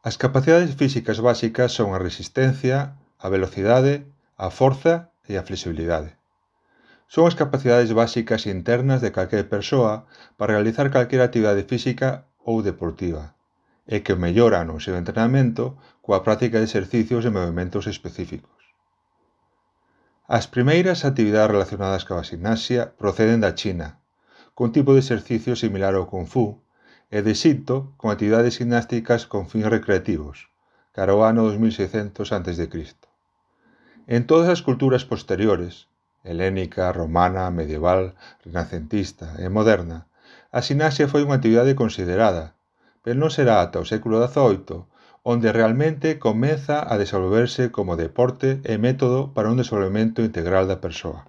As capacidades físicas básicas son a resistencia, a velocidade, a forza e a flexibilidade. Son as capacidades básicas internas de calquera persoa para realizar calquera actividade física ou deportiva e que melloran o seu entrenamento coa práctica de exercicios e movimentos específicos. As primeiras actividades relacionadas coa gimnasia proceden da China, cun tipo de exercicio similar ao Kung Fu, e de Xinto con actividades gimnásticas con fins recreativos, cara ao ano 2600 a.C. En todas as culturas posteriores, helénica, romana, medieval, renacentista e moderna, a gimnasia foi unha actividade considerada, pero non será ata o século XVIII onde realmente comeza a desenvolverse como deporte e método para un desenvolvemento integral da persoa.